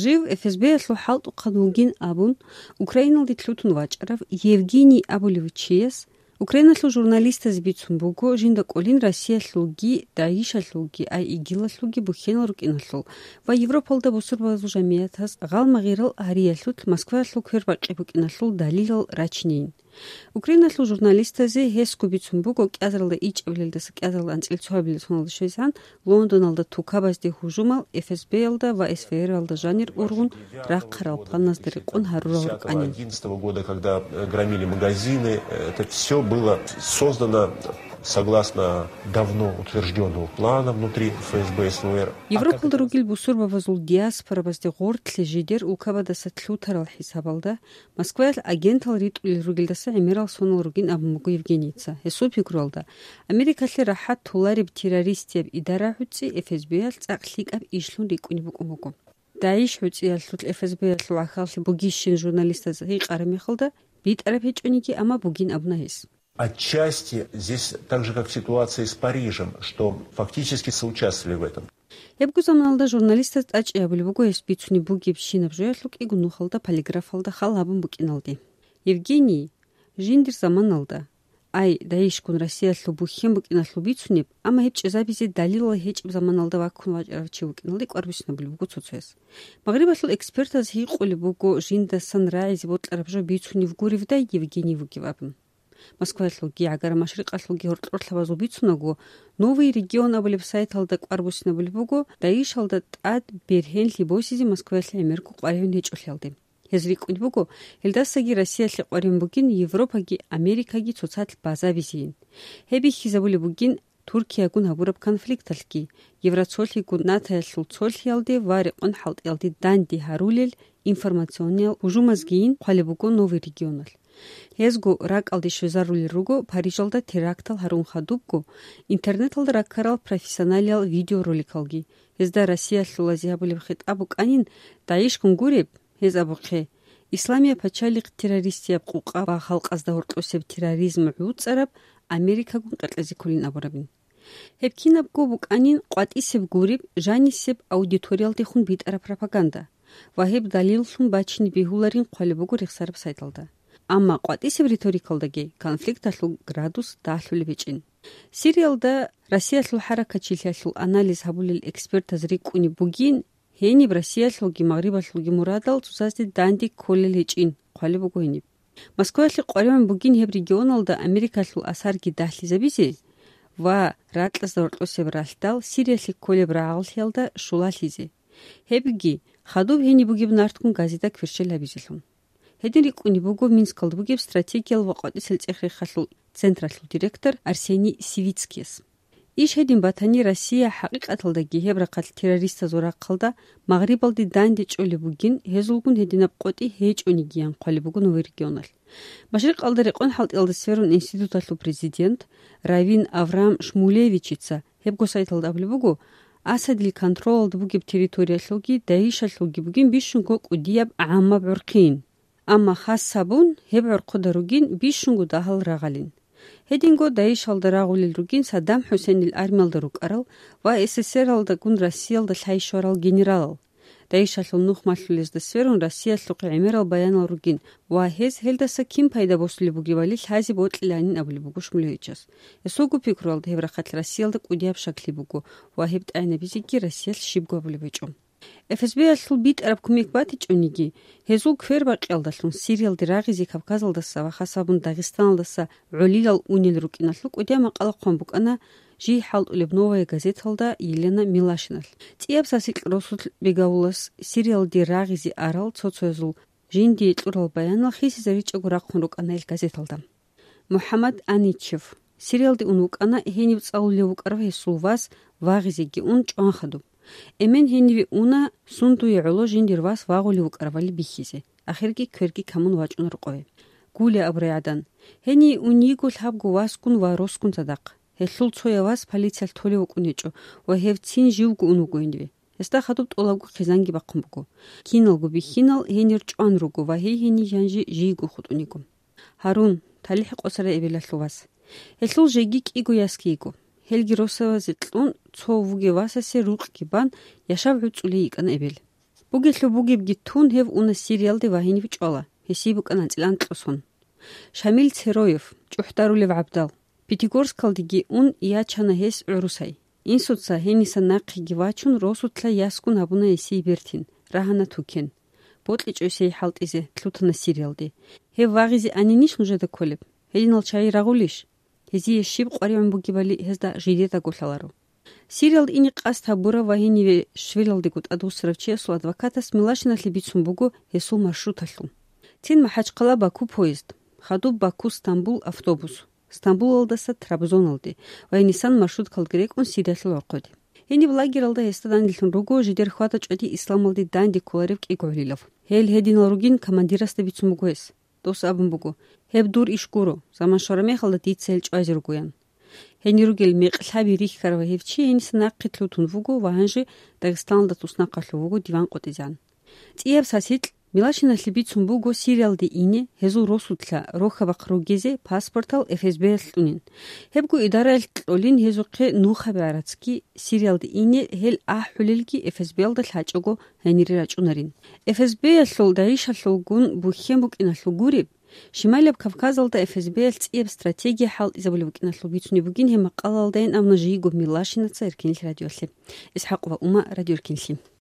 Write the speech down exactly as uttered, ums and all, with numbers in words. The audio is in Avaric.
Жив ФСБ-ялъул хӀалтӀухъан вугин абун, Украиналде лъутун вачӀарав Евгений абулев чияс Украиналъул журналистазе бицун буго, жинда кӀолин Россиялъулги, ДАИШалъулги, ай, ИГИЛалъулги бухьенал рукӀиналъул ва Европалда бусурбабазул жамиятаз гъалмагъирал гьариялъулъ Москваялъул квербакъи букӀиналъул далилал рачинейин. Украиналъул журналистазе гьесго бицун буго кӀиазаралда ичӀабилелдаса кӀиазаралда анцӀила цоабилеб соналда щвезегӀан Лондоналда тукабазде гьужумал, ФСБ-ялда ва СВР-алда жанир ургъун рахъарал планазда рекъон гьарурал рукӀанин. Одиннадцатого года, когда, э, громили магазины, э, это всё было создано согласно давно утверждённого плана внутри ФСБ СВР. Европалда ругел бусурбабазул диаспорабазде гъортлъи жидер улкабадаса лъутарал хӀисабалда, Москваялъ агентал ритӀулел ругелдаса гӀемерал сонал ругин абун буго Евгенийица. Гьесул пикруялда, Америкалъе рахӀат толареб террористияб идара гӀуцӀи ФСБ-ялъ цӀакъ лъикӀаб ишлъун рикӀкӀунеб букӀун буго. ДАИШ гӀуцӀиялъулъ ФСБ-ялъул гӀахьаллъи бугищин журналистаз гьикъараб мехалда, битӀараб гьечӀониги, амма бугин абуна гьес. Отчасти здесь так же, как ситуация с Парижем, что фактически соучаствовали в этом. Гьебго заманалда журналистаз тӀачӀи гьабулеб буго гьес бицунеб бугебщинаб жоялъул кӀиго нухалда полиграфалда хал гьабун букӀиналде. Евгений, жиндир заманалда, ай, ДАИШгун Россиялъул бухьен букӀиналъул бицунеб, амма гьеб чӀезабизе далилал гьечӀеб заманалда ваккун вачӀарав чи вукӀиналде кӀвар буссинабулеб буго цо-цояс. Магърибалъул экспертаз гьикъулеб буго жиндасан рагӀизе бокьараб жо бицунеб гуревдай Евгений вугев абун. Москваялъулги, ГӀагара-Машрикъалъулги гьоркьорлъабазул бицунаго, «Новый регион» абулеб сайталда кӀвар буссинабулеб буго ДАИШалда тӀад бергьенлъи босизе Москваялъе гӀемерго къваригӀун гьечӀолъиялде. Гьез рикӀкӀунеб буго, гьелдасаги Россиялъе къваригӀун бугин Европаги Америкаги цоцалъ базабизейин. Гьеб бихьизабулеб бугин Туркиягун гьабураб конфликталъги, Евроцолъигун НАТОялъул цолъиялде ва рекъон-хӀалтӀиялде данде гьарулел информациониял гьужумазгийин хъвалеб буго «Новый регионалъ». Гьезго ракӀалде щвезарулел руго Парижалда терактал гьарун хадубго интернеталда раккарал профессионалиял видеороликалги. Гьезда Россиялъулазе гьабулеб хитӀаб букӀанин, ДАИШгун гуреб, гьез абухъе, исламияб пачалихъ террористияб къукъа ва халкъазда гьоркьосеб терроризм гӀуцӀараб Америкагун къеркьезе кколин абурабин. Гьеб кинабго букӀанин къватӀисеб гуреб, жанисеб аудиториялдехун битӀараб пропаганда ва гьеб далиллъун бачине бегьуларин хъвалеб буго рехсараб сайталда. Амма къватӀисеб риторикалдаги конфликталъул градус дагьлъулеб гьечӀин. Сириялда Россиялъул хӀаракатчилъиялъул анализ гьабулел экспертаз рикӀкӀунеб бугин, гьениб Россиялъулги Магърибалъулги мурадал цоцазде данде кколел гьечӀин, хъвалеб буго гьениб. Москваялъе къваригӀун бугин гьеб регионалда Америкалъул асарги дагьлъизабизе ва ракьазда гьоркьосеб ралъдал Сириялъе кколеб рагӀаллъиялда щулалъизе. Гьебги, хадуб гьениб бугеб нартгун газида кверщел гьабизелъун. Гьедин рикӀкӀунеб буго Минскалда бугеб стратегиял ва къватӀисел цӀех-рехалъул централъул директор Арсений Сивицкияс. Иш гьедин батани, Россия хӀакъикъаталдаги гьеб рахъалъ террористазул рахъалда Магърибалде данде чӀолеб бугин, гьезулгун гьединаб къотӀи гьечӀонигиян хъвалеб буго «Новый регионалъ». Машрикъалда рекъон-хӀалтӀиялда сверун институталъул президент Равин Авраам Шмулевичица гьебго сайталда абулеб буго, Асадил контролалда бугеб территориялъулги ДАИШалъулги бугин бищунго кӀудияб гӀаммаб гӀурхъин. Амма хас гьабун, гьеб гӀурхъуда ругин бищунго дагьал рагъалин. Гьединго ДАИШалда рагъулел ругин Саддам ХӀусейнил армиялда рукӀарал ва СССРалдагун Россиялда лъай щварал генералал. ДАИШалъул нух малъулезда сверун Россиялъухъе гӀемерал баянал ругин ва гьез гьелдаса кин пайда босулеб бугебали лъазе бокьиланин абулеб буго Шмулевичас. Гьесулго пикруялда, гьеб рахъалъ Россиялда кӀудияб щаклъи буго ва гьеб тӀагӀинабизеги Россиялъ щибго гьабулеб гьечӀо. ФСБ-ялъул битӀараб кумек батичӀониги, гьезул квербакъиялдалъун Сириялде рагъизе Кавказалдаса ва хас гьабун Дагъистаналдаса гӀолилал унел рукӀиналъул кӀудияб макъала хъван букӀана жий хӀалтӀулеб «Новая газеталда» Елена Милашиналъ. ЦӀияб сасикь росулъ Бегавулас Сириялде рагъизе арал цо-цоязул жиндие кьурал баянал хисизаричӀого рахъун рукӀана ил газеталда. МухӀаммад Аничев Сириялде ун вукӀана, гьенив цӀалулев вукӀарав гьесул вас вагъизеги ун чӀван хадуб. Эмен гьениве уна, сундуе гӀоло жиндир вас вагъулев вукӀаравали бихьизе, ахирги кверги камун вачӀуна рокъове. Гулия абурай гӀадан, гьение ун йиго лъабго васгун ва росгун цадахъ. Гьелъул цояв вас полициялъ толев вукӀун гьечӀо ва гьев цин живго ун вуго гьениве. Гьесда хадуб тӀолабго хъизанги бахъун буго. Киналго бихьинал гьенир чӀван руго ва гьей гьенив жанжи жийго хутӀун йиго. Гьарун, талихӀ къосарай эбелалъул вас. Гьелъул жеги кӀиго ясги йиго. Гьелги росавазе кьун, цо вугев васасе рукъги бан, яшав гӀуцӀулей йикӀана эбел. Бугелъул бугебги тун, гьев уна Сириялде ва гьенив чӀвала, гьесие букӀана анцӀила анкьго сон. Шамил Цероев, чӀухӀдарулев гӀабдал, Пятигорскалдеги ун, ячана гьес гӀурусай. Инсуца гьенисан нахъеги вачун, росулъа ясгун гьабуна гьесие бертин, рагьана тукен. БокьичӀо гьесие хӀалтӀизе, лъутана Сириялде. Гьев вагъизе анинищ нужеда кколеб? Гьединал чагӀи рагъулищ? Гьезие щиб къваригӀун бугебали гьезда жидедаго лъаларо. Сириялде ине къасд гьабурав ва гьениве Швелалдего тӀадвуссарав чиясул адвокатас Милашиналъе бицун буго гьесул маршруталъул. Цин МахӀачхъала-Баку поезд, хадуб Баку-Стамбул автобус, Стамбулалдаса Трабзоналде ва гьенисан маршруткалги рекӀун Сириялъул вахъуде. Гьениб лагералда гьесда данделъун руго жидер хьвада-чӀвади исламалде данде кколарев кӀиго гӀолилав. Гьел гьединал ругин командирасда бицун буго гьес. Дос абун буго: «Гьеб дур иш гуро, заман щвараб мехалда дица гьел чӀвазе ругоян». Гьенир ругел мекъ лъаби рихьарав гьев чи гьениса нахъе лъутун вуго ва гьанже Дагъистаналда туснахъалъув вуго диван къотӀизегӀан. ЦӀияб сасикь Милашиналъе бицун буго Сириялде ине, гьезул росулъа рохьабахъ ругезе паспортал ФСБ-ялъ кьунин. Гьебго идараялъ кьолин гьезухъе нухаби гӀарацги, Сириялде ине гьел ахӀулелги ФСБ-ялда лъачӀого гьенире рачӀунарин. ФСБ-ялъул ДАИШалъулгун бухьен букӀиналъул гуреб, Шималияб Кавказалда ФСБ-ялъ цӀияб стратегия хӀалтӀизабулеб букӀиналъул бицунеб бугин гьеб макъалаялдайин, амма жийго Милашинаца Эркенлъи радиоялъе. ИсхӀакъова Ума, Радио Эркенлъи.